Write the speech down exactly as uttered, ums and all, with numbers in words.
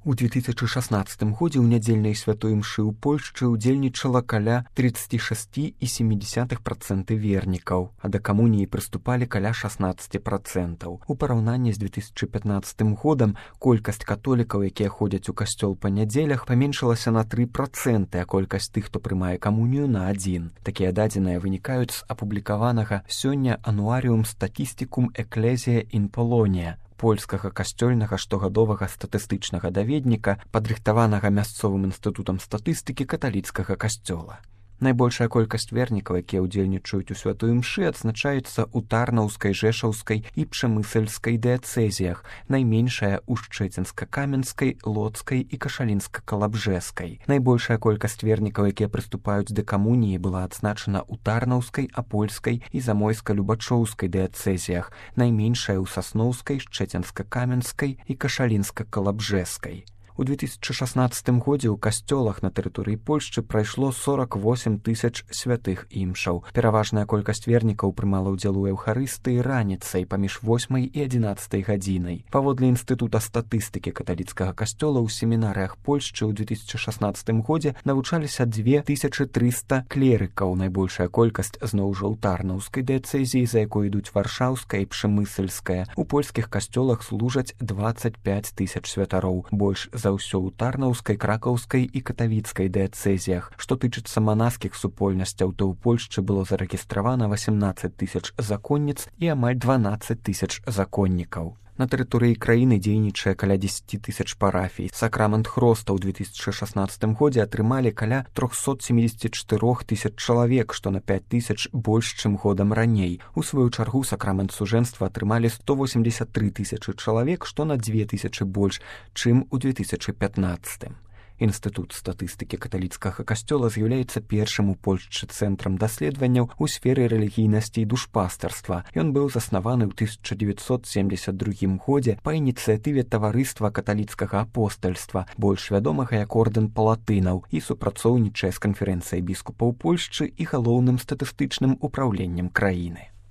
У две тысячи шестнадцатым годзе ў нядзельнай святой імшы ў Польшчы ўдзельнічала каля тридцать шесть и семь десятых процента вернікаў, а да камуніі прыступалі каля шестнадцать процентаў. У параўнанні з две тысячи пятнадцатым годам колькасць католікаў, якія ходзяць у касцёл па нядзелях, паменшылася на три проценты, а колькасць тых, хто прымае камунію, на адзін. Такія дадзеныя вынікаюць з апублікаванага сёння ануаріум статістикум Ecclesiae in Polonia, польскага касцёльнага штогадовага статыстычнага даведніка, падрыхтаванага мясцовым інстытутам статыстыкі каталіцкага касцёла. Найбольшая колькасць вернікаў, якія ўдзельнічаюць у святой імшы, адзначаецца ў Тарнаўскай, Жэшаўскай і Пшэмысельскай дыяцэзіях, найменшая ў Шчэцінска-Каменскай, Лоцкай і Кашалінска-Калабжэскай. Найбольшая колькасць вернікаў, якія прыступаюць да камуніі, была адзначана ў Тарнаўскай, Апольскай і Замойска-Любачоўскай дыяцэзіях, найменшая ў Сасноўскай, Шчэцінска-Каменскай і Кашалінска-Калабжэскай. У две тысячи шестнадцатым годзе ў касцёлах на тэрыторыі Польшчы прайшло сорок восемь тысяч святых імшаў. Пераважная колькасць вернікаў прымала ўдзел у эўхарыстыі раніцай паміж восьмай і адзінаццатай гадзінай. Паводле інстытута статыстыкі каталіцкага касцёла ў семінарыях Польшчы ў две тысячи шестнадцатым годзе навучаліся две тысячи триста клерыкаў. Найбольшая колькасць зноў жа ў Тарнаўскай дыяцэзіі, за якой ідуць Варшаўская і Пшэмысельская. У польскіх касцёлах служаць двадцать пять тысяч святароў, больш за ўсё ў Тарнаўскай, Кракаўскай і Катавіцкай дыяцэзіях. Што тычыцца манаскіх супольнасцяў, то ў Польшчы было зарэгістравана восемнадцать тысяч законніц і амаль дванадцать тысяч законнікаў. На тэрыторыі краіны дзейнічае каля дзесяць тысяч парафій. Сакрамент Хроста ў две тысячи шестнадцатым годзе атрымалі каля триста семьдесят четыре тысяч чалавек, што на пять тысяч больш, чым годам раней. У сваю чаргу сакрамент сужэнства атрымалі сто восемьдесят три тысячы чалавек, што на две тысячи больш, чым у две тысячи пятнадцатым. Інстытут статыстыкі каталіцкага касцёла з'яўляецца першым у Польшчы цэнтрам даследаванняў у сферы рэлігійнасці і душпастарства. Ён быў заснаваны ў тысяча девятьсот семьдесят другім годзе па ініцыятыве таварыства каталіцкага апостальства, больш вядомага як ордэн палатынаў, і супрацоўнічае з канферэнцыяй біскупаў Польшчы і галоўным статыстычным упраўленнем краіны.